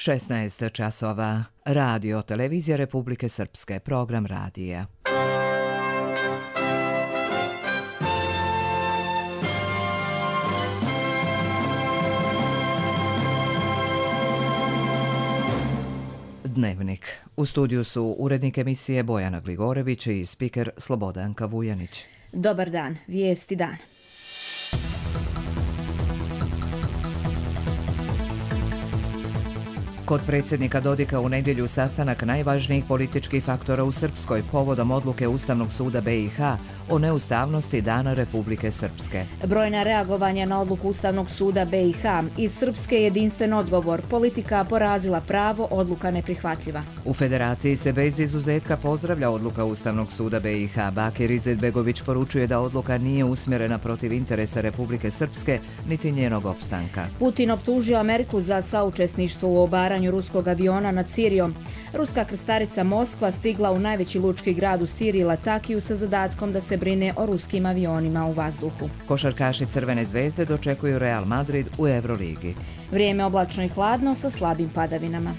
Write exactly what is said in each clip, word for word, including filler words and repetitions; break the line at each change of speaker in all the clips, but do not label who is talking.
šesnaest časova. Radio Televizija Republike Srpske. Program radija. Dnevnik. U studiju su urednik emisije Bojana Gligorević i spiker Slobodanka Vujanić.
Dobar dan. Vijesti dana.
Kod predsjednika Dodika u nedjelju sastanak najvažnijih političkih faktora u Srpskoj povodom odluke Ustavnog suda B i H o neustavnosti Dana Republike Srpske.
Brojna reagovanja na odluku Ustavnog suda B i H. Iz Srpske jedinstven odgovor. Politika porazila pravo, odluka neprihvatljiva.
U Federaciji se bez izuzetka pozdravlja odluka Ustavnog suda B i H. Bakir Izetbegović poručuje da odluka nije usmjerena protiv interesa Republike Srpske niti njenog opstanka.
Putin optužio Ameriku za saučesništvo u obaranju ruskog aviona nad Sirijom. Ruska krstarica Moskva stigla u najveći lučki grad u Siriji Latakiju sa zadatkom da se brine o ruskim avionima u vazduhu.
Košarkaši Crvene zvezde dočekuju Real Madrid u Euroligi.
Vrijeme oblačno i hladno sa slabim padavinama.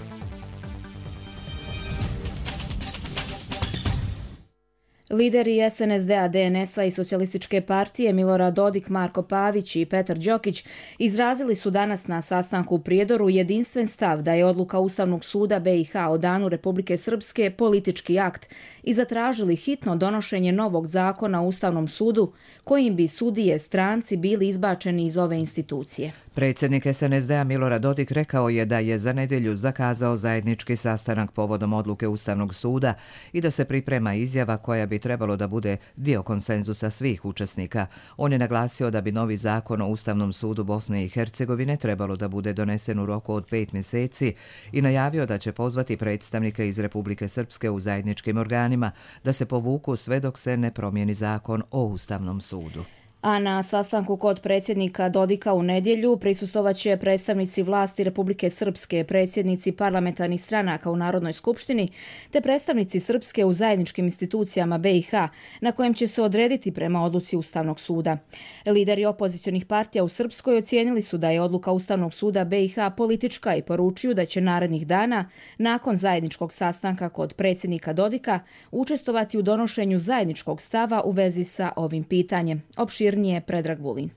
Lideri S N S D-a, D N S-a i Socijalističke partije Milorad Dodik, Marko Pavić i Petar Đokić izrazili su danas na sastanku u Prijedoru jedinstven stav da je odluka Ustavnog suda B i H o Danu Republike Srpske politički akt i zatražili hitno donošenje novog zakona o Ustavnom sudu kojim bi sudije stranci bili izbačeni iz ove institucije.
Predsjednik S N S D-a Milorad Dodik rekao je da je za nedjelju zakazao zajednički sastanak povodom odluke Ustavnog suda i da se priprema izjava koja bi trebalo da bude dio konsenzusa svih učesnika. On je naglasio da bi novi zakon o Ustavnom sudu Bosne i Hercegovine trebalo da bude donesen u roku od pet mjeseci i najavio da će pozvati predstavnike iz Republike Srpske u zajedničkim organima da se povuku sve dok se ne promijeni zakon o Ustavnom sudu.
A na sastanku kod predsjednika Dodika u nedjelju prisustvovaće predstavnici vlasti Republike Srpske, predsjednici parlamentarnih stranaka u Narodnoj skupštini, te predstavnici Srpske u zajedničkim institucijama B i H, na kojem će se odrediti prema odluci Ustavnog suda. Lideri opozicionih partija u Srpskoj ocijenili su da je odluka Ustavnog suda B i H politička i poručuju da će narednih dana, nakon zajedničkog sastanka kod predsjednika Dodika, učestvovati u donošenju zajedničkog stava u vezi sa ovim pitanjem. Opširnije Predrag Vulin.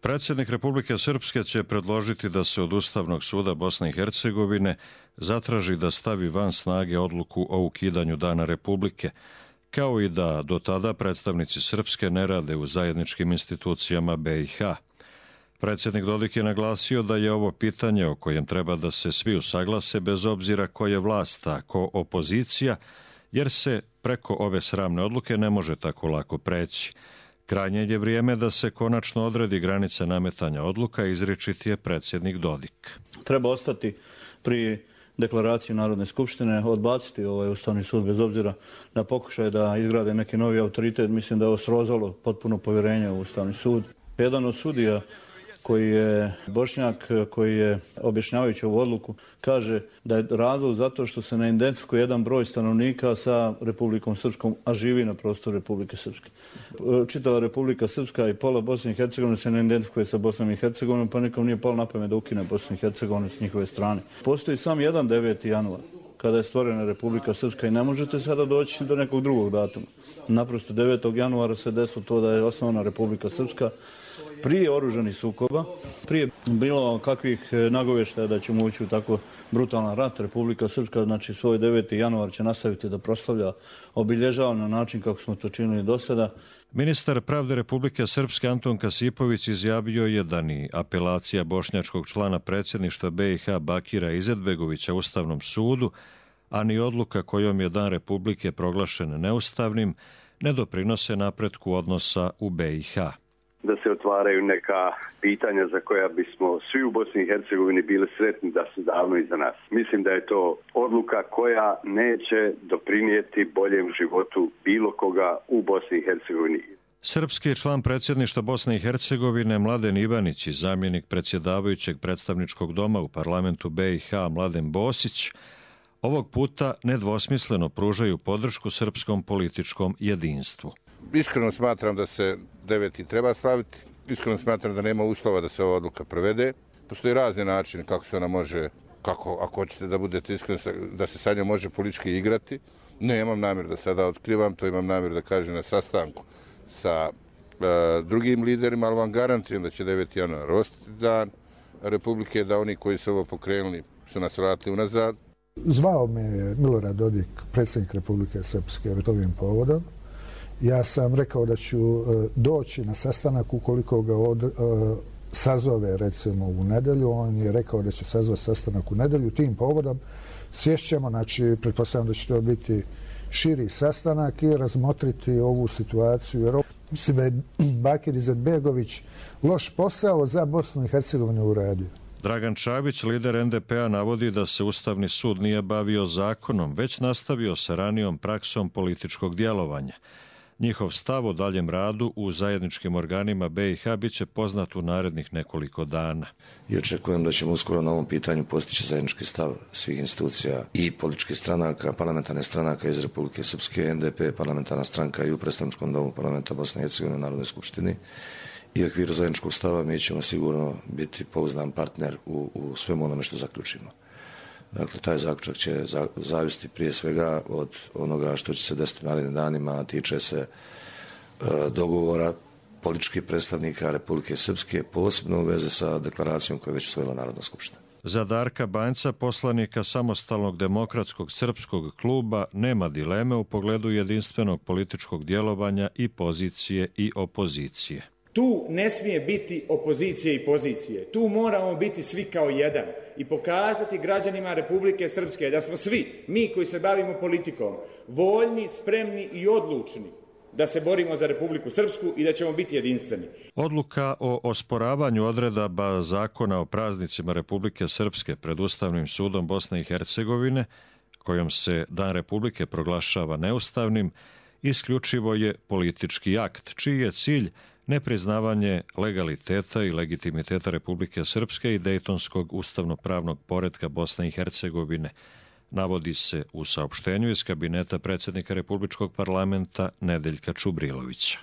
Predsjednik Republike Srpske će predložiti da se od Ustavnog suda Bosne i Hercegovine zatraži da stavi van snage odluku o ukidanju Dana Republike, kao i da do tada predstavnici Srpske ne rade u zajedničkim institucijama B i H. Predsjednik Dodik je naglasio da je ovo pitanje o kojem treba da se svi usaglase bez obzira ko je vlast, a ko opozicija, jer se preko ove sramne odluke ne može tako lako preći. Krajnje je vrijeme da se konačno odredi granica nametanja odluka, izričiti je predsjednik Dodik.
Treba ostati pri deklaraciji Narodne skupštine, odbaciti ovaj Ustavni sud bez obzira na pokušaj da izgrade neki novi autoritet. Mislim da je ovo srozalo potpuno povjerenje u Ustavni sud. Jedan od sudija koji je Bošnjak, koji je objašnjavajući ovu odluku, kaže da je razlog zato što se ne identifikuje jedan broj stanovnika sa Republikom Srpskom, a živi na prostoru Republike Srpske. Čitava Republika Srpska i pola Bosne i Hercegovine se ne identifikuje sa Bosnom i Hercegovinom, pa nikom nije palo na pamet da ukine Bosnu i Hercegovinu s njihove strane. Postoji sam jedan deveti januar, kada je stvorena Republika Srpska i ne možete sada doći do nekog drugog datuma. Naprosto devetog januara se desilo to da je osnovana Republika Srpska, prije oružanih sukoba, prije bilo kakvih nagovještaja da ćemo ući u tako brutalan rat. Republika Srpska, znači svoj deveti januar će nastaviti da proslavlja, obilježava na način kako smo to činili do sada.
Ministar pravde Republike Srpske Anton Kasipović izjavio je da ni apelacija bošnjačkog člana predsjedništva B i H Bakira Izetbegovića Ustavnom sudu, a ni odluka kojom je Dan Republike proglašen neustavnim, ne doprinose napretku odnosa u B i H.
Da se otvaraju neka pitanja za koja bismo svi u Bosni i Hercegovini bili sretni da su davno iza nas. Mislim da je to odluka koja neće doprinijeti boljem životu bilo koga u Bosni i Hercegovini.
Srpski član predsjedništva Bosne i Hercegovine Mladen Ivanić i zamjenik predsjedavajućeg predstavničkog doma u parlamentu B i H Mladen Bosić ovog puta nedvosmisleno pružaju podršku srpskom političkom jedinstvu.
Iskreno smatram da se deveti treba slaviti. Iskreno smatram da nema uslova da se ova odluka provede. Postoji razni način kako se ona može kako, ako hoćete da budete iskreni, da se sa njom može politički igrati. Ne, imam namjer da sada otkrivam, to imam namjer da kažem na sastanku sa e, drugim liderima, ali vam garantujem da će deveti januar ostati dan Republike, da oni koji su ovo pokrenuli su nas vratili unazad.
Zvao me je Milorad Dodik, predsjednik Republike Srpske, ovim povodom. Ja sam rekao da ću e, doći na sastanak ukoliko ga od, e, sazove recimo u nedjelju. On je rekao da će sazvati sastanak u nedjelju. Tim povodom sješćemo, znači pretpostavljam da će to biti širi sastanak i razmotriti ovu situaciju. Jer mislim da je Bakir Izetbegović loš posao za Bosnu i Hercegovinu uradio.
Dragan Čabić, lider en de pe a, navodi da se Ustavni sud nije bavio zakonom, već nastavio sa ranijom praksom političkog djelovanja. Njihov stav o daljem radu u zajedničkim organima be i ha bit će poznat u narednih nekoliko dana.
I očekujem da ćemo uskoro na ovom pitanju postići zajednički stav svih institucija i političkih stranaka, parlamentarne stranaka iz Republike Srpske, en de pe, parlamentarna stranka i u predstavničkom domu parlamenta Bosne i Hercegovine u Narodnoj skupštini. I u okviru zajedničkog stava mi ćemo sigurno biti pouzdan partner u, u svemu onome što zaključimo. Dakle, taj zaključak će zavisiti prije svega od onoga što će se desiti u narednim danima, tiče se e, dogovora političkih predstavnika Republike Srpske, posebno u vezi sa deklaracijom koju je već usvojila Narodna skupština.
Za Darka Banjca, poslanika Samostalnog demokratskog srpskog kluba, nema dileme u pogledu jedinstvenog političkog djelovanja i pozicije i opozicije.
Tu ne smije biti opozicije i pozicije. Tu moramo biti svi kao jedan i pokazati građanima Republike Srpske da smo svi, mi koji se bavimo politikom, voljni, spremni i odlučni da se borimo za Republiku Srpsku i da ćemo biti jedinstveni.
Odluka o osporavanju odredaba zakona o praznicima Republike Srpske pred Ustavnim sudom Bosne i Hercegovine, kojom se Dan Republike proglašava neustavnim, isključivo je politički akt, čiji je cilj nepriznavanje legaliteta i legitimiteta Republike Srpske i Dejtonskog ustavno-pravnog poretka Bosne i Hercegovine, navodi se u saopštenju iz kabineta predsjednika Republičkog parlamenta Nedeljka Čubrilovića.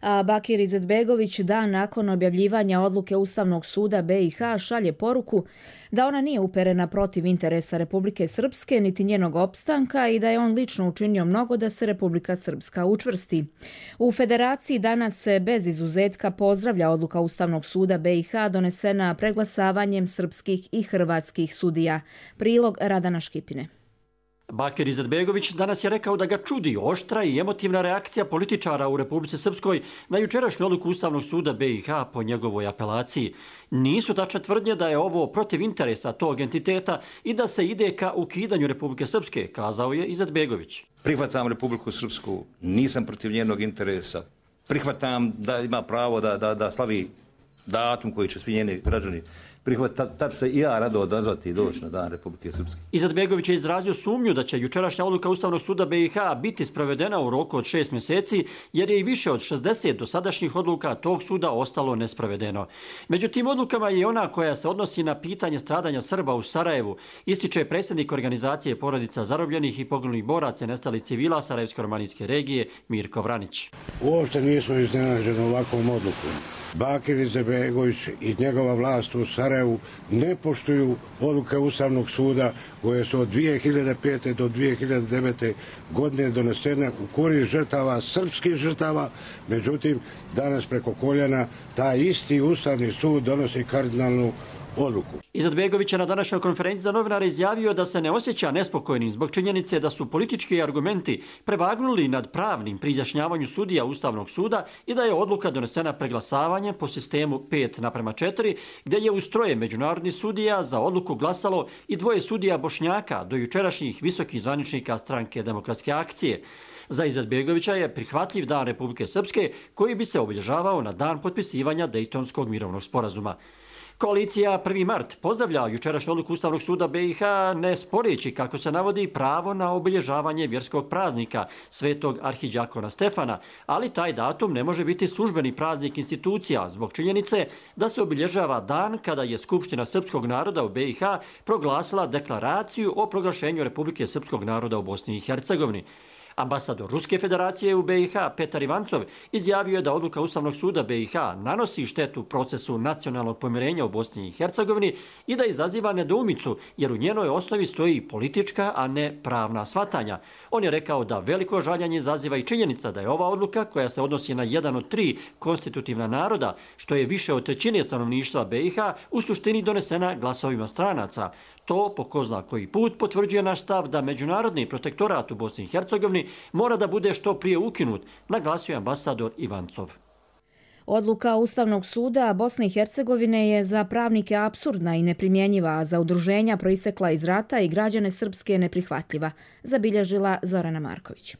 A Bakir Izetbegović dan nakon objavljivanja odluke Ustavnog suda be i ha šalje poruku da ona nije uperena protiv interesa Republike Srpske niti njenog opstanka i da je on lično učinio mnogo da se Republika Srpska učvrsti. U Federaciji danas se bez izuzetka pozdravlja odluka Ustavnog suda be i ha donesena preglasavanjem srpskih i hrvatskih sudija. Prilog Radana Škipine.
Bakir Izetbegović danas je rekao da ga čudi oštra i emotivna reakcija političara u Republici Srpskoj na jučerašnju odluku Ustavnog suda be i ha po njegovoj apelaciji. Nisu tačne tvrdnje da je ovo protiv interesa tog entiteta i da se ide ka ukidanju Republike Srpske, kazao je Izetbegović.
Prihvatam Republiku Srpsku, nisam protiv njenog interesa. Prihvatam da ima pravo da, da, da slavi datum koji će svi njeni građani prihvatiti. Tačno se i ja rado odazvati i doći na Dan Republike Srpske.
Izetbegović je izrazio sumnju da će jučerašnja odluka Ustavnog suda be i ha biti sprovedena u roku od šest mjeseci, jer je i više od šezdeset dosadašnjih odluka tog suda ostalo nesprovedeno. Među tim odlukama je ona koja se odnosi na pitanje stradanja Srba u Sarajevu, ističe predsjednik organizacije porodica zarobljenih i poginulih boraca i nestalih civila Sarajevsko-romanijske regije Mirko Vranić.
Uopšte nismo iznenađeni ovakvom odlukom. Bakir Izetbegović i njegova vlast u Sarajevu ne poštuju odluke Ustavnog suda koje su od dvije hiljade pete do dvije hiljade devete godine donesene u korist žrtava, srpskih žrtava. Međutim, danas preko koljena taj isti Ustavni sud donosi kardinalnu odluku.
Izetbegović je na današnjoj konferenciji za novinare izjavio da se ne osjeća nespokojnim zbog činjenice da su politički argumenti prevagnuli nad pravnim pri izjašnjavanju sudija Ustavnog suda i da je odluka donesena preglasavanjem po sistemu pet naprema četiri, gdje je uz troje međunarodnih sudija za odluku glasalo i dvoje sudija Bošnjaka do jučerašnjih visokih zvaničnika stranke Demokratske akcije. Za Izetbegovića je prihvatljiv Dan Republike Srpske koji bi se obilježavao na dan potpisivanja Dejtonskog mirovnog sporazuma. Koalicija prvi mart pozdravlja jučerašnju odluku Ustavnog suda be i ha, ne sporeći, kako se navodi, pravo na obilježavanje vjerskog praznika Svetog arhidjakona Stefana, ali taj datum ne može biti službeni praznik institucija zbog činjenice da se obilježava dan kada je Skupština srpskog naroda u be i ha proglasila deklaraciju o proglašenju Republike srpskog naroda u Bosni i Hercegovini. Ambasador Ruske federacije u B i H Petar Ivancov izjavio je da odluka Ustavnog suda B i H nanosi štetu procesu nacionalnog pomirenja u Bosni i Hercegovini i da izaziva nedoumicu jer u njenoj osnovi stoji politička, a ne pravna shvatanja. On je rekao da veliko žaljenje izaziva i činjenica da je ova odluka, koja se odnosi na jedan od tri konstitutivna naroda, što je više od trećine stanovništva B i H, u suštini donesena glasovima stranaca. To, po ko zna koji put, potvrđuje naš stav da međunarodni protektorat u Bosni i Hercegovini mora da bude što prije ukinut, naglasio je ambasador Ivancov.
Odluka Ustavnog suda Bosne i Hercegovine je za pravnike apsurdna i neprimjenjiva, a za udruženja proistekla iz rata i građane Srpske neprihvatljiva, zabilježila Zorana Marković.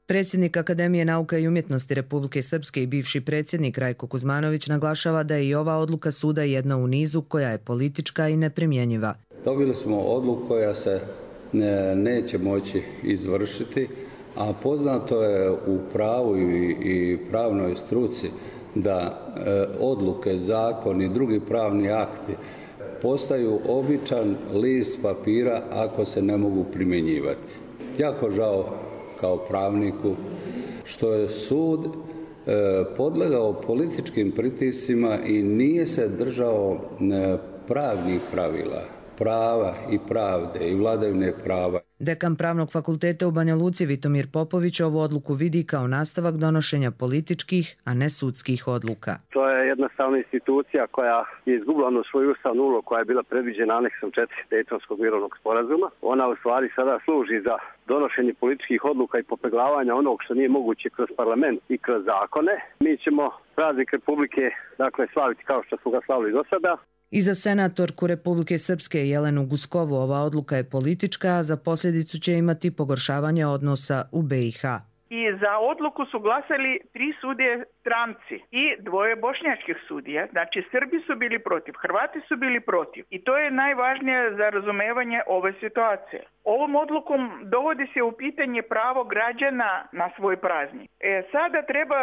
Predsjednik Akademije nauka i umjetnosti Republike Srpske i bivši predsjednik Rajko Kuzmanović naglašava da je i ova odluka suda jedna u nizu koja je politička i neprimjenjiva.
Dobili smo odluku koja se ne, neće moći izvršiti, a poznato je u pravu i, i pravnoj struci da e, odluke, zakoni i drugi pravni akti postaju običan list papira ako se ne mogu primjenjivati. Jako žao kao pravniku što je sud e, podlegao političkim pritiscima i nije se držao e, pravnih pravila, prava i pravde i vladavine prava.
Dekan Pravnog fakulteta u Banja Luci Vitomir Popović ovu odluku vidi kao nastavak donošenja političkih, a ne sudskih odluka.
To je jednostavna institucija koja je izgubila ono svoju ustavnu ulogu koja je bila predviđena aneksom četiri Dejtonskog mirovnog sporazuma. Ona u stvari sada služi za donošenje političkih odluka i popeglavanja onog što nije moguće kroz parlament i kroz zakone. Mi ćemo praznik Republike dakle slaviti kao što smo ga slavili do sada.
I za senatorku Republike Srpske Jelenu Guskovu ova odluka je politička, a za posljedicu će imati pogoršavanje odnosa u B i H.
I za odluku su glasali tri sudije stranci i dvoje bošnjačkih sudija. Znači Srbi su bili protiv, Hrvati su bili protiv. I to je najvažnije za razumevanje ove situacije. Ovom odlukom dovodi se u pitanje pravo građana na svoj praznik. E, sada treba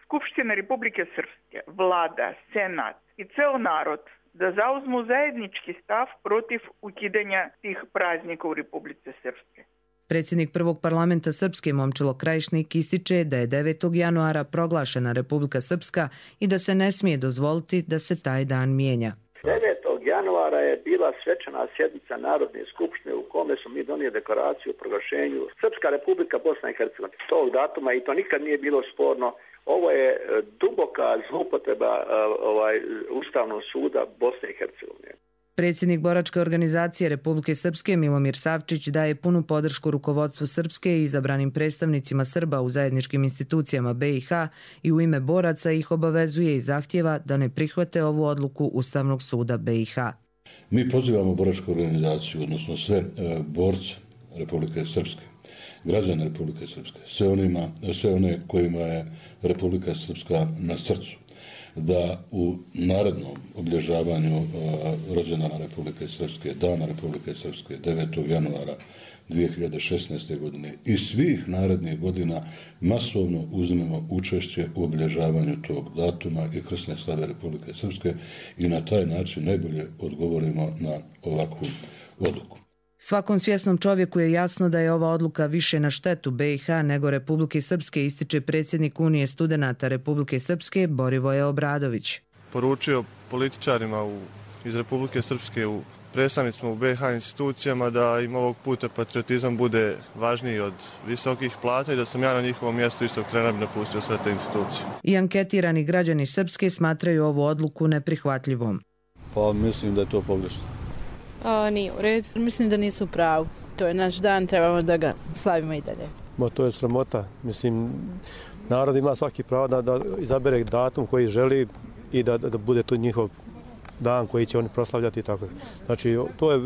Skupština Republike Srpske, vlada, senat i ceo narod da zauzmu zajednički stav protiv ukidanja tih praznika u Republike Srpske.
Predsjednik prvog parlamenta Srpske Momčilo Krajišnik ističe da je devetog januara proglašena Republika Srpska i da se ne smije dozvoliti da se taj dan mijenja.
devetog januara je bila svečana sjednica Narodne skupštine u kome smo mi donijeli deklaraciju o proglašenju Srpska Republika Bosna i Hercegovina. Tog datuma i to nikad nije bilo sporno. Ovo je duboka zloupotreba ovaj, Ustavnog suda Bosne i Hercegovine.
Predsjednik boračke organizacije Republike Srpske Milomir Savčić daje punu podršku rukovodstvu Srpske i izabranim predstavnicima Srba u zajedničkim institucijama B i H i u ime boraca ih obavezuje i zahtjeva da ne prihvate ovu odluku Ustavnog suda B i H.
Mi pozivamo boračku organizaciju, odnosno sve e, borce Republike Srpske, građane Republike Srpske, sve, onima, sve one kojima je Republika Srpska na srcu, da u narednom obilježavanju uh, rođendana Republike Srpske, dana Republike Srpske, devetog januara dvije hiljade šesnaeste. godine i svih narednih godina masovno uzmemo učešće u obilježavanju tog datuma i krsne slave Republike Srpske i na taj način najbolje odgovorimo na ovakvu odluku.
Svakom svjesnom čovjeku je jasno da je ova odluka više na štetu B i H nego Republike Srpske, ističe predsjednik Unije studenata Republike Srpske Borivoje Obradović.
Poručio političarima u, iz Republike Srpske, u predstavnicima u B i H institucijama da im ovog puta patriotizam bude važniji od visokih plata i da sam ja na njihovom mjestu istog trena napustio sve te institucije.
I anketirani građani Srpske smatraju ovu odluku neprihvatljivom.
Pa mislim da je to pogrešno.
O, nije u redu. Mislim da nisu u pravu. To je naš dan, trebamo da ga slavimo i dalje.
Ma to je sramota. Mislim, narod ima svaki pravo da, da izabere datum koji želi i da, da bude to njihov dan koji će oni proslavljati i tako. Znači, to je,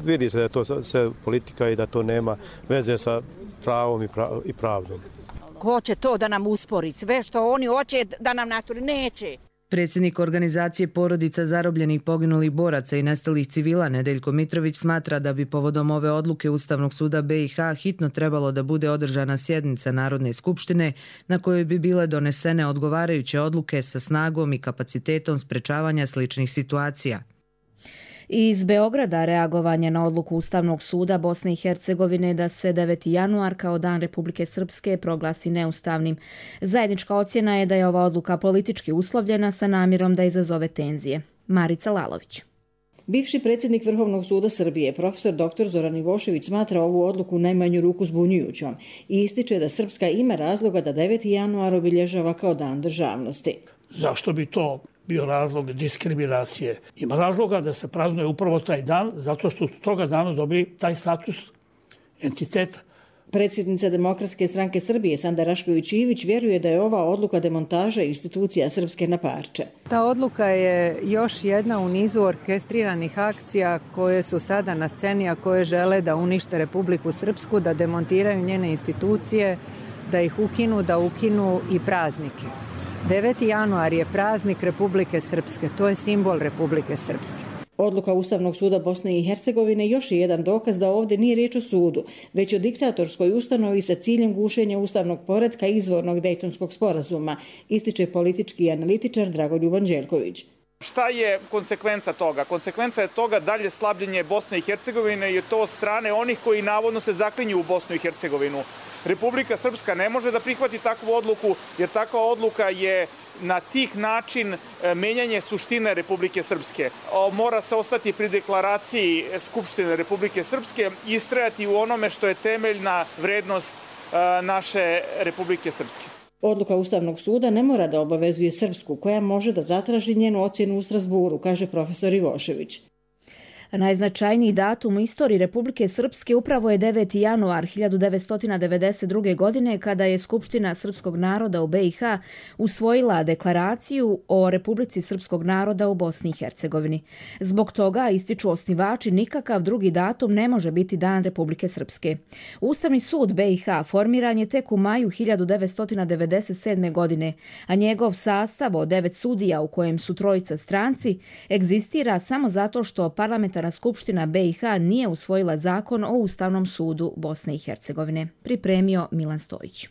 vidi se da je to sve politika i da to nema veze sa pravom i, prav, i pravdom.
Hoće to da nam uspori, sve što oni hoće da nam naturi, neće.
Predsjednik organizacije porodica zarobljenih poginulih boraca i nestalih civila Nedeljko Mitrović smatra da bi povodom ove odluke Ustavnog suda B i H hitno trebalo da bude održana sjednica Narodne skupštine na kojoj bi bile donesene odgovarajuće odluke sa snagom i kapacitetom sprečavanja sličnih situacija.
Iz Beograda reagovanje na odluku Ustavnog suda Bosne i Hercegovine da se deveti januar kao Dan Republike Srpske proglasi neustavnim. Zajednička ocjena je da je ova odluka politički uslovljena sa namjerom da izazove tenzije. Marica Lalović.
Bivši predsjednik Vrhovnog suda Srbije, profesor doktor Zoran Ivošević, smatra ovu odluku u najmanju ruku zbunjujućom i ističe da Srpska ima razloga da deveti januar obilježava kao Dan državnosti.
Zašto bi to bio razlog diskriminacije? Ima razloga da se praznuje upravo taj dan, zato što su toga dana dobili taj status entiteta.
Predsjednica Demokratske stranke Srbije Sanda Rašković-Ivić vjeruje da je ova odluka demontaža institucija Srpske na parče.
Ta odluka je još jedna u nizu orkestriranih akcija koje su sada na sceni, a koje žele da unište Republiku Srpsku, da demontiraju njene institucije, da ih ukinu, da ukinu i praznike. deveti januar je praznik Republike Srpske, to je simbol Republike Srpske.
Odluka Ustavnog suda Bosne i Hercegovine još je jedan dokaz da ovdje nije riječ o sudu, već o diktatorskoj ustanovi sa ciljem gušenja ustavnog poretka izvornog Dejtonskog sporazuma, ističe politički analitičar Dragoljub Anđelković.
Šta je konsekvenca toga? Konsekvenca je toga dalje slabljenje Bosne i Hercegovine i to od strane onih koji navodno se zaklinju u Bosnu i Hercegovinu. Republika Srpska ne može da prihvati takvu odluku, jer takva odluka je na tih način menjanje suštine Republike Srpske. Mora se ostati pri deklaraciji Skupštine Republike Srpske i istrajati u onome što je temeljna vrednost naše Republike Srpske.
Odluka Ustavnog suda ne mora da obavezuje Srpsku, koja može da zatraži njenu ocjenu u Strasburu, kaže profesor Ivošević.
Najznačajniji datum u istoriji Republike Srpske upravo je deveti januar hiljadu devetsto devedeset druge. godine kada je Skupština srpskog naroda u be i ha usvojila deklaraciju o Republici srpskog naroda u Bosni i Hercegovini. Zbog toga, ističu osnivači, nikakav drugi datum ne može biti Dan Republike Srpske. Ustavni sud be i ha formiran je tek u maju hiljadu devetsto devedeset sedme. godine, a njegov sastav od devet sudija u kojem su trojica stranci egzistira samo zato što parlamentarna Skupština be i ha nije usvojila zakon o Ustavnom sudu Bosne i Hercegovine. Pripremio Milan Stojić.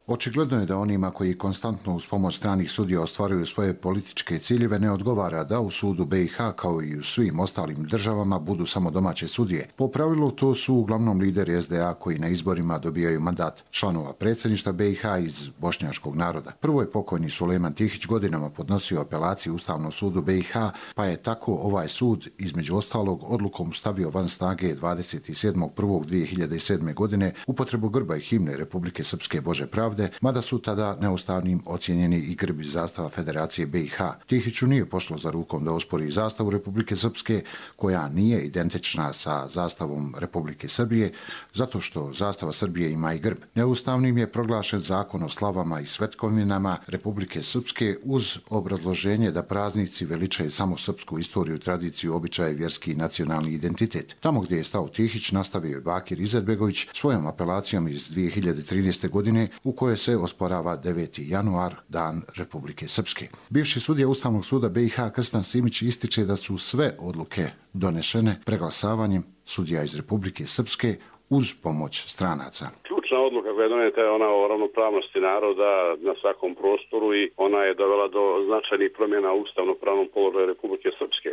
Očigledno je da onima koji konstantno uz pomoć stranih sudija ostvaruju svoje političke ciljeve ne odgovara da u sudu be i ha kao i u svim ostalim državama budu samo domaće sudije. Po pravilu to su uglavnom lideri es de a koji na izborima dobijaju mandat članova predsjedništva be i ha iz bošnjačkog naroda. Prvo je pokojni Sulejman Tihić godinama podnosio apelaciju Ustavnom sudu be i ha, pa je tako ovaj sud između ostalog odlukom stavio van snage dvadeset sedmog prvog dvije hiljade sedme. godine upotrebu grba i himne Republike Srpske Bože pravde, mada su tada neustavnim ocijenjeni i grb i zastava Federacije be i ha. Tihiću nije pošlo za rukom da ospori zastavu Republike Srpske, koja nije identična sa zastavom Republike Srbije, zato što zastava Srbije ima i grb. Neustavnim je proglašen zakon o slavama i svetkovinama Republike Srpske uz obrazloženje da praznici veličaju samo srpsku istoriju, tradiciju, običaje, vjerski i nacionalni identitet. Tamo gdje je stao Tihić nastavio je Bakir Izetbegović svojom apelacijom iz dvije hiljade trinaeste. godine u kojoj se osporava deveti januar, Dan Republike Srpske. Bivši sudija Ustavnog suda be i ha Krstan Simić ističe da su sve odluke donešene preglasavanjem sudija iz Republike Srpske uz pomoć stranaca.
Ključna odluka koja je doneta je ona o ravnopravnosti naroda na svakom prostoru i ona je dovela do značajnih promjena u ustavno-pravnom položaju Republike Srpske.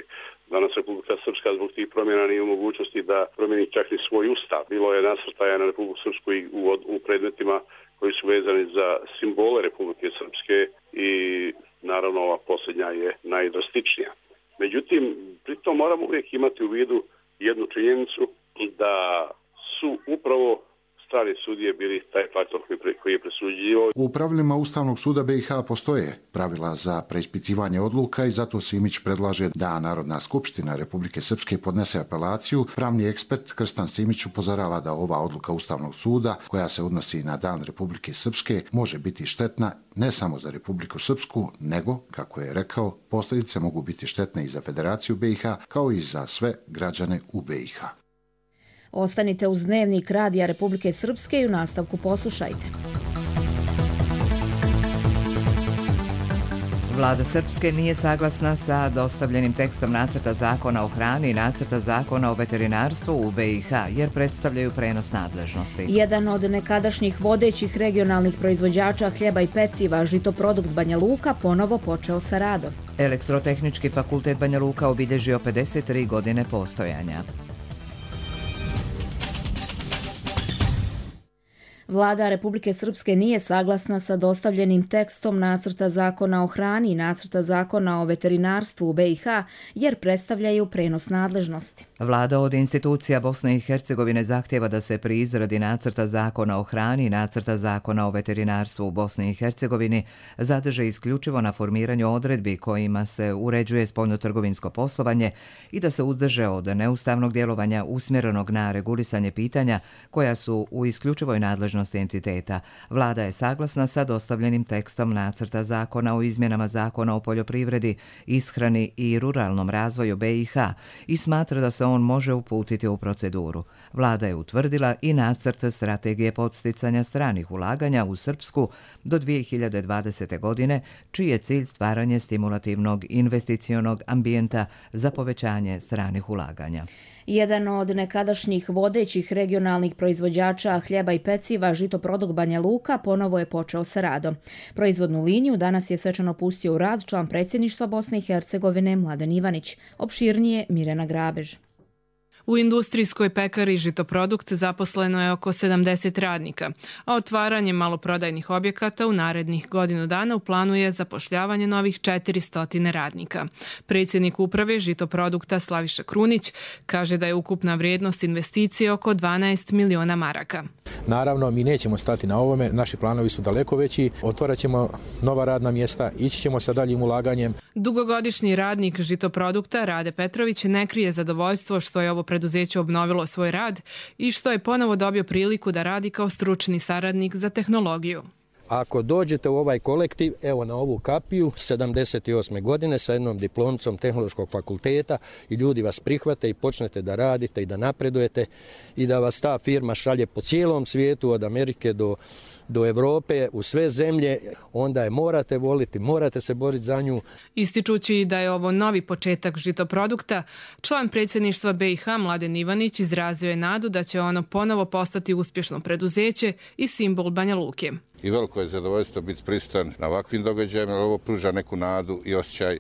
Danas Republika Srpska zbog tih promjena nije u mogućnosti da promijeni čak ni svoj ustav. Bilo je nasrtaja na Republiku Srpsku i u, u predmetima koji su vezani za simbole Republike Srpske i naravno ova posljednja je najdrastičnija. Međutim, pritom moramo uvijek imati u vidu jednu činjenicu da su upravo strani sudije bili taj faktor koji je presuđivao.
U pravilima Ustavnog suda be i ha postoje pravila za preispitivanje odluka i zato Simić predlaže da Narodna skupština Republike Srpske podnese apelaciju. Pravni ekspert Krstan Simić upozorava da ova odluka Ustavnog suda, koja se odnosi na Dan Republike Srpske, može biti štetna ne samo za Republiku Srpsku, nego, kako je rekao, posljedice mogu biti štetne i za Federaciju be i ha, kao i za sve građane u be i ha.
Ostanite uz Dnevnik Radija Republike Srpske i u nastavku poslušajte.
Vlada Srpske nije saglasna sa dostavljenim tekstom nacrta zakona o hrani i nacrta zakona o veterinarstvu u B i H, jer predstavljaju prenos nadležnosti.
Jedan od nekadašnjih vodećih regionalnih proizvođača hljeba i peciva, Žitoprodukt Banja Luka, ponovo počeo sa radom.
Elektrotehnički fakultet Banja Luka obilježio pedeset tri godine postojanja.
Vlada Republike Srpske nije saglasna sa dostavljenim tekstom nacrta zakona o hrani i nacrta zakona o veterinarstvu u B i H, jer predstavljaju prenos nadležnosti.
Vlada od institucija Bosne i Hercegovine zahtjeva da se pri izradi nacrta zakona o hrani i nacrta zakona o veterinarstvu u Bosni i Hercegovini zadrže isključivo na formiranju odredbi kojima se uređuje spoljnotrgovinsko poslovanje i da se uzdrže od neustavnog djelovanja usmjerenog na regulisanje pitanja koja su u isključivoj nadležnosti entiteta. Vlada je saglasna sa dostavljenim tekstom nacrta zakona o izmjenama zakona o poljoprivredi, ishrani i ruralnom razvoju B i H i smatra da se on može uputiti u proceduru. Vlada je utvrdila i nacrt strategije podsticanja stranih ulaganja u Srpsku do dvije hiljade dvadesete. godine, čiji je cilj stvaranje stimulativnog investicionog ambijenta za povećanje stranih ulaganja.
Jedan od nekadašnjih vodećih regionalnih proizvođača hljeba i peciva, Žitoprodukt Banja Luka, ponovo je počeo sa radom. Proizvodnu liniju danas je svečano pustio u rad član predsjedništva Bosne i Hercegovine Mladen Ivanić. Opširnije Mirjana Grabež.
U industrijskoj pekari Žitoprodukt zaposleno je oko sedamdeset radnika, a otvaranje maloprodajnih objekata u narednih godinu dana u planu je zapošljavanje novih četiristo radnika. Predsjednik uprave Žitoprodukta Slaviša Krunić kaže da je ukupna vrijednost investicije oko dvanaest miliona maraka.
Naravno, mi nećemo stati na ovome, naši planovi su daleko veći, otvarat ćemo nova radna mjesta, ići ćemo sa daljim ulaganjem.
Dugogodišnji radnik Žitoprodukta Rade Petrović ne krije zadovoljstvo što je ovo preduzeće obnovilo svoj rad i što je ponovo dobio priliku da radi kao stručni saradnik za tehnologiju.
Ako dođete u ovaj kolektiv, evo na ovu kapiju, sedamdeset osme. godine sa jednom diplomcom Tehnološkog fakulteta i ljudi vas prihvate i počnete da radite i da napredujete i da vas ta firma šalje po cijelom svijetu, od Amerike do, do Evrope, u sve zemlje, onda je morate voliti, morate se boriti za nju.
Ističući da je ovo novi početak Žitoprodukta, član predsjedništva B i H Mladen Ivanić izrazio je nadu da će ono ponovo postati uspješno preduzeće i simbol Banja Luke.
I veliko je zadovoljstvo biti prisutan na ovakvim događajima, jer ovo pruža neku nadu i osjećaj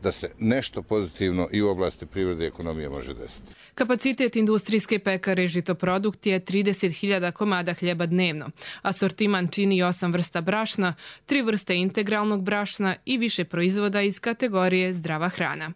da se nešto pozitivno i u oblasti privrede i ekonomije može desiti.
Kapacitet industrijske pekare Žitoprodukt je trideset hiljada komada hljeba dnevno. Asortiman čini osam vrsta brašna, tri vrste integralnog brašna i više proizvoda iz kategorije zdrava hrana.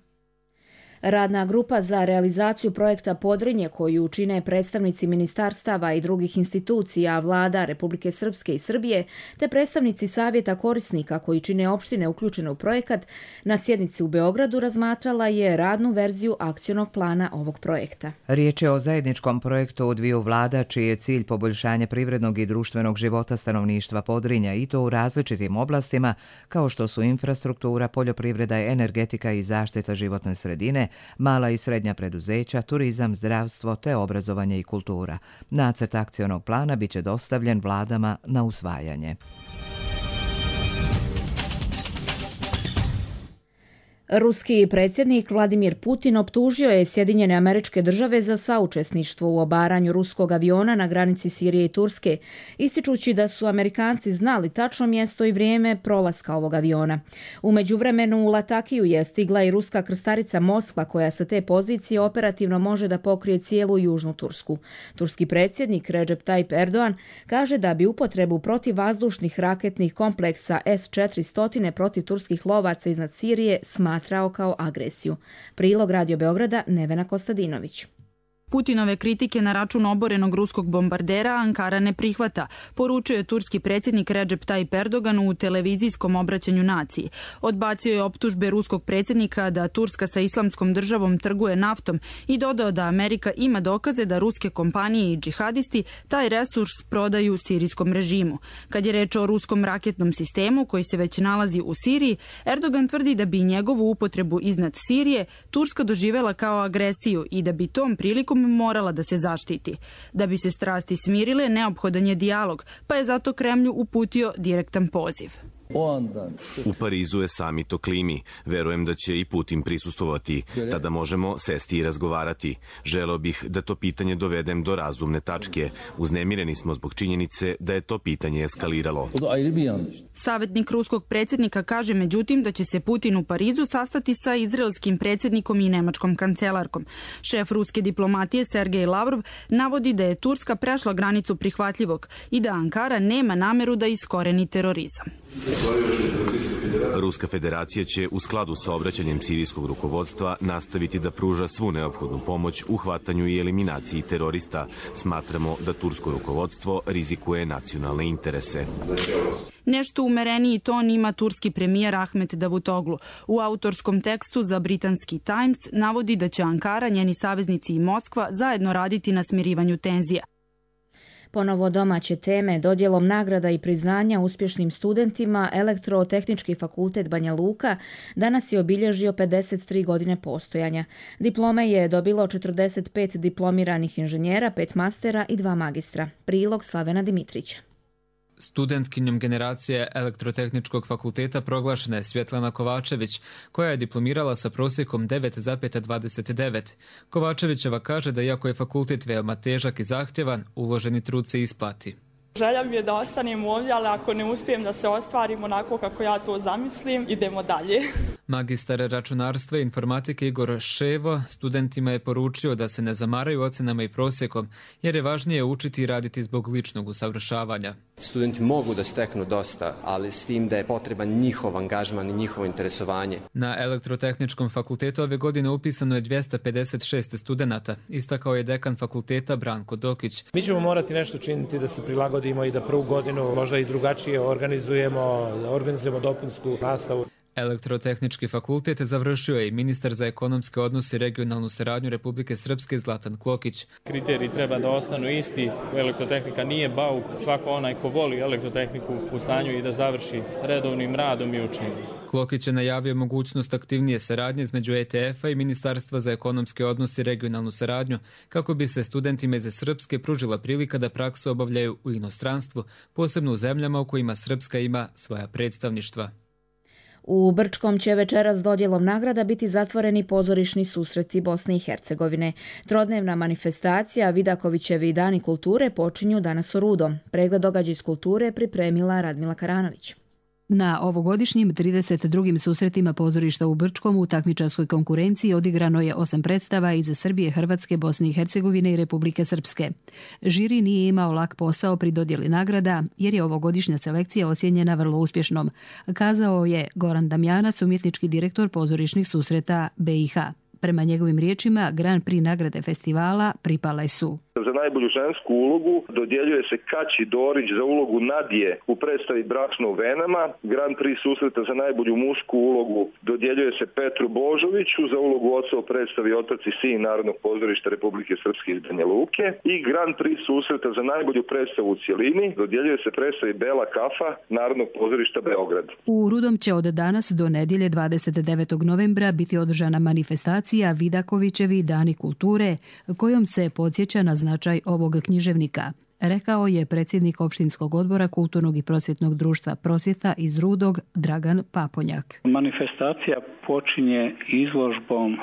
Radna grupa za realizaciju projekta Podrinje, koju čine predstavnici ministarstava i drugih institucija, vlada Republike Srpske i Srbije, te predstavnici savjeta korisnika koji čine opštine uključene u projekat, na sjednici u Beogradu razmatrala je radnu verziju akcionog plana ovog projekta.
Riječ je o zajedničkom projektu dviju vlada, čiji je cilj poboljšanje privrednog i društvenog života stanovništva Podrinja, i to u različitim oblastima kao što su infrastruktura, poljoprivreda, energetika i zaštita životne sredine, mala i srednja preduzeća, turizam, zdravstvo te obrazovanje i kultura. Nacrt akcionog plana biće dostavljen vladama na usvajanje.
Ruski predsjednik Vladimir Putin optužio je Sjedinjene Američke Države za saučesništvo u obaranju ruskog aviona na granici Sirije i Turske, ističući da su Amerikanci znali tačno mjesto i vrijeme prolaska ovog aviona. U međuvremenu u Latakiju je stigla i ruska krstarica Moskva, koja sa te pozicije operativno može da pokrije cijelu južnu Tursku. Turski predsjednik Recep Tayyip Erdogan kaže da bi upotrebu protivvazdušnih raketnih kompleksa S četiristo protiv turskih lovaca iznad Sirije smatrao kao agresiju. Prilog Radio Beograda, Nevena Kostadinović.
Putinove kritike na račun oborenog ruskog bombardera Ankara ne prihvata, poručio je turski predsjednik Recep Tayyip Erdogan u televizijskom obraćanju naciji. Odbacio je optužbe ruskog predsjednika da Turska sa islamskom državom trguje naftom i dodao da Amerika ima dokaze da ruske kompanije i džihadisti taj resurs prodaju sirijskom režimu. Kad je reč o ruskom raketnom sistemu koji se već nalazi u Siriji, Erdogan tvrdi da bi njegovu upotrebu iznad Sirije Turska doživela kao agresiju i da bi tom prilikom morala da se zaštiti. Da bi se strasti smirile, neophodan je dijalog, pa je zato Kremlju uputio direktan poziv.
U Parizu je samit o klimi. Verujem da će i Putin prisustvovati. Tada možemo sesti i razgovarati. Želeo bih da to pitanje dovedem do razumne tačke. Uznemireni smo zbog činjenice da je to pitanje eskaliralo.
Savjetnik ruskog predsjednika kaže međutim da će se Putin u Parizu sastati sa izraelskim predsjednikom i nemačkom kancelarkom. Šef ruske diplomatije Sergej Lavrov navodi da je Turska prešla granicu prihvatljivog i da Ankara nema nameru da iskoreni terorizam.
Ruska federacija će u skladu sa obraćanjem sirijskog rukovodstva nastaviti da pruža svu neophodnu pomoć u hvatanju i eliminaciji terorista. Smatramo da tursko rukovodstvo rizikuje nacionalne interese.
Nešto umereniji ton ima turski premijer Ahmet Davutoglu. U autorskom tekstu za britanski Times navodi da će Ankara, njeni saveznici i Moskva zajedno raditi na smirivanju tenzija.
Ponovo domaće teme, dodjelom nagrada i priznanja uspješnim studentima Elektrotehnički fakultet Banja Luka danas je obilježio pedeset tri godine postojanja. Diplome je dobilo četrdeset pet diplomiranih inženjera, pet mastera i dva magistra. Prilog Slavena Dimitrića.
Studentkinjom generacije Elektrotehničkog fakulteta proglašena je Svjetlana Kovačević, koja je diplomirala sa prosjekom devet zarez dvadeset devet. Kovačevićeva kaže da iako je fakultet veoma težak i zahtjevan, uloženi trud se isplati.
Želja mi je da ostanem ovdje, ali ako ne uspijem da se ostvarim onako kako ja to zamislim, idemo dalje.
Magistar računarstva i informatike Igor Ševo studentima je poručio da se ne zamaraju ocenama i prosjekom, jer je važnije učiti i raditi zbog ličnog usavršavanja.
Studenti mogu da steknu dosta, ali s tim da je potreban njihov angažman i njihovo interesovanje.
Na Elektrotehničkom fakultetu ove godine upisano je dvjesto pedeset šest studenata, istakao je dekan fakulteta Branko Dokić.
Mi ćemo morati nešto činiti da se prilagodimo i da prvu godinu možda i drugačije organizujemo, organizujemo dopunsku nastavu.
Elektrotehnički fakultet završio je i ministar za ekonomske odnose i regionalnu saradnju Republike Srpske Zlatan Klokić.
Kriteriji treba da ostanu isti, elektrotehnika nije bauk, svako onaj ko voli elektrotehniku u stanju i da završi redovnim radom i učenjem.
Klokić je najavio mogućnost aktivnije saradnje između E T F-a i Ministarstva za ekonomske odnose i regionalnu saradnju, kako bi se studentima iz Srpske pružila prilika da praksu obavljaju u inostranstvu, posebno u zemljama u kojima Srpska ima svoja predstavništva.
U Brčkom će večeras dodjelom nagrada biti zatvoreni pozorišni susreti Bosne i Hercegovine. Trodnevna manifestacija Vidakovićevi dani kulture počinju danas u Rudom. Pregled događaja iz kulture pripremila Radmila Karanović.
Na ovogodišnjim trideset drugim susretima pozorišta u Brčkom u takmičarskoj konkurenciji odigrano je osam predstava iz Srbije, Hrvatske, Bosne i Hercegovine i Republike Srpske. Žiri nije imao lak posao pri dodjeli nagrada jer je ovogodišnja selekcija ocijenjena vrlo uspješnom, kazao je Goran Damjanac, umjetnički direktor pozorišnih susreta B i H. Prema njegovim riječima, Grand Prix nagrade festivala pripale su:
za najbolju žensku ulogu dodjeljuje se Kaći Dorić za ulogu Nadije u predstavi Bračno u venama. Grand Prix susreta za najbolju mušku ulogu dodjeljuje se Petru Božoviću za ulogu oca u predstavi Otac i sin Narodnog pozorišta Republike Srpske iz Banja Luke. I Grand Prix susreta za najbolju predstavu u cjelini dodjeljuje se predstavi Bela kafa Narodnog pozorišta Beograd.
U Rudom će od danas do nedjelje dvadeset devetog novembra biti održana manifestacija Vidakovićevi dani kulture, kojom se podsjeća na značaj ovog književnika, rekao je predsjednik opštinskog odbora Kulturnog i prosvjetnog društva Prosvjeta iz Rudog Dragan Paponjak.
Manifestacija počinje izložbom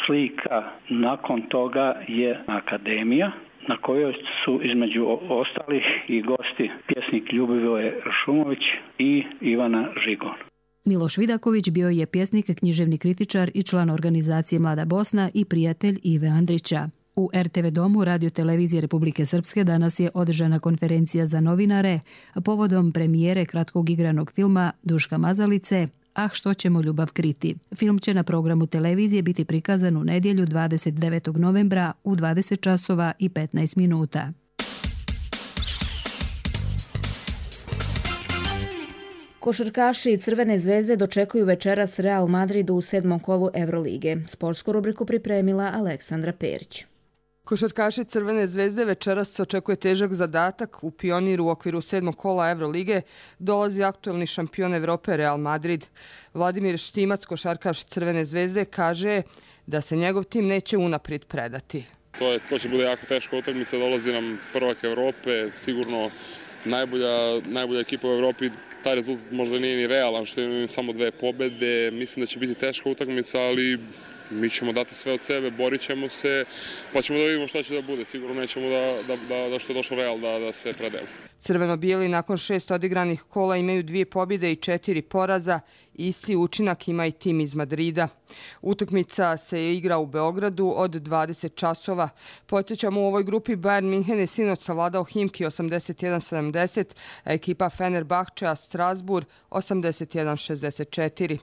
slika, nakon toga je akademija na kojoj su između ostalih i gosti pjesnik Ljubivoje Šumović i Ivana Žigon.
Miloš Vidaković bio je pjesnik, književni kritičar i član organizacije Mlada Bosna i prijatelj Ive Andrića. U R T V domu Radio televizije Republike Srpske danas je održana konferencija za novinare povodom premijere kratkog igranog filma Duška Mazalice Ah, što ćemo ljubav kriti. Film će na programu televizije biti prikazan u nedjelju dvadeset devetog novembra u dvadeset časova i petnaest minuta.
Košarkaši Crvene zvezde dočekuju večeras Real Madridu u sedmom kolu Evrolige. Sportsku rubriku pripremila Aleksandra Perić.
Košarkaši Crvene zvezde večeras se očekuje težak zadatak. U Pioniru u okviru sedmog kola Evrolige dolazi aktuelni šampion Evrope Real Madrid. Vladimir Štimac, košarkaš Crvene zvezde, kaže da se njegov tim neće unaprijed predati.
To, je, to će bude jako teška utakmica, dolazi nam prvak Evrope, sigurno najbolja, najbolja ekipa u Evropi. taj rezultat možda nije ni realan, što je samo dve pobede. Mislim da će biti teška utakmica, ali mi ćemo dati sve od sebe, borit ćemo se, pa ćemo da vidimo šta će da bude. Sigurno nećemo da, da, da, da što je došao Real da, da se predemo.
Crveno-bijeli nakon šest odigranih kola imaju dvije pobjede i četiri poraza. Isti učinak ima i tim iz Madrida. Utakmica se igra u Beogradu od dvadeset časova. Podsjećamo, u ovoj grupi Bayern Minhen je sinoć savladao Himki osamdeset jedan sedamdeset, a ekipa Fenerbahčea Strasbourg osamdeset jedan šezdeset četiri.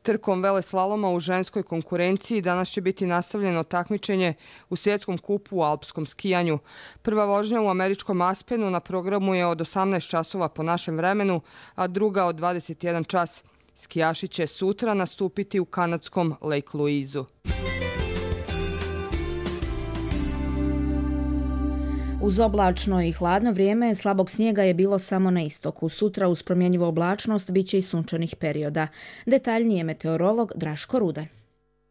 Trkom veleslaloma u ženskoj konkurenciji danas će biti nastavljeno takmičenje u svjetskom kupu u alpskom skijanju. Prva vožnja u američkom Aspenu na programu je od osamnaest časova po našem vremenu, a druga od dvadeset jedan čas. Skijaši će sutra nastupiti u kanadskom Lake Louiseu.
Uz oblačno i hladno vrijeme, slabog snijega je bilo samo na istoku. Sutra uz promjenjivu oblačnost bit će i sunčanih perioda. Detaljnije meteorolog Draško Rudan.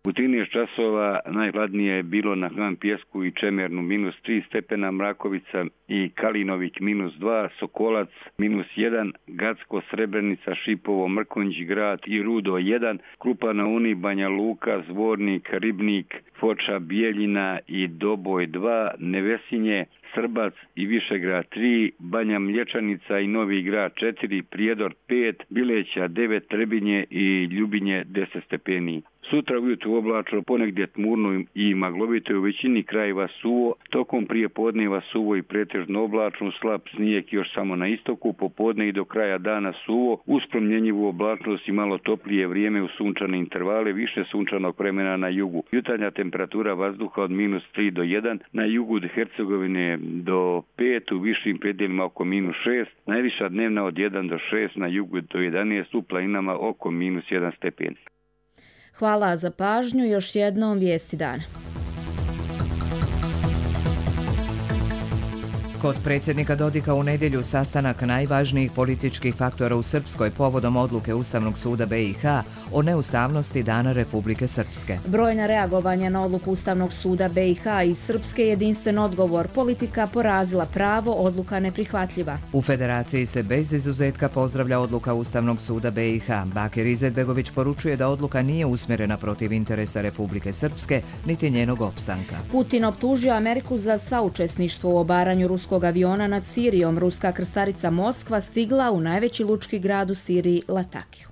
U trinaest časova najhladnije je bilo na Hvan Pjesku i Čemernu minus tri stepena, Mrakovica i Kalinovik minus dva, Sokolac minus jedan, Gacko, Srebrenica, Šipovo, Mrkonjić grad i Rudo jedan, Krupa na Uni, Banja Luka, Zvornik, Ribnik, Foča, Bijeljina i Doboj dva, Nevesinje, Srbac i Višegrad tri, Banja Mlječanica i Novi Grad četiri, Prijedor pet, Bileća devet, Trebinje i Ljubinje deset stepeni. Sutra ujutru oblačno, ponegdje tmurno i maglovito, u većini krajeva suvo, tokom prije podneva suvo i pretežno oblačno, slab snijeg još samo na istoku, popodne i do kraja dana suvo, uz promjenjivu oblačnost i malo toplije vrijeme u sunčane intervale, više sunčanog vremena na jugu. Jutarnja temperatura vazduha od minus tri do jedan, na jugu od Hercegovine do pet, u višim predjelima oko minus šest, najviša dnevna od jedan do šest, na jugu do jedanaest, u planinama oko minus jedan stepen.
Hvala za pažnju, još jednom vijesti dana.
Kod predsjednika Dodika u nedjelju sastanak najvažnijih političkih faktora u Srpskoj povodom odluke Ustavnog suda B i H o neustavnosti Dana Republike Srpske.
Brojna reagovanja na odluku Ustavnog suda B i H iz Srpske, jedinstven odgovor: politika porazila pravo, odluka neprihvatljiva.
U Federaciji se bez izuzetka pozdravlja odluka Ustavnog suda B i H. Bakir Izetbegović poručuje da odluka nije usmjerena protiv interesa Republike Srpske niti njenog opstanka.
Putin optužio Ameriku za saučesništvo u obaranju ruskog aviona nad Sirijom. Ruska krstarica Moskva stigla u najveći lučki grad u Siriji, Latakiju.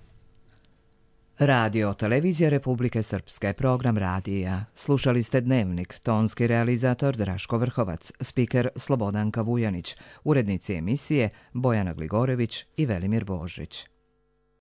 Radio Televizija Republike Srpske, program radija. Slušali ste Dnevnik, tonski realizator Draško Vrhovac, spiker Slobodanka Vujanić, urednici emisije Bojana Gligorević i Velimir Božić.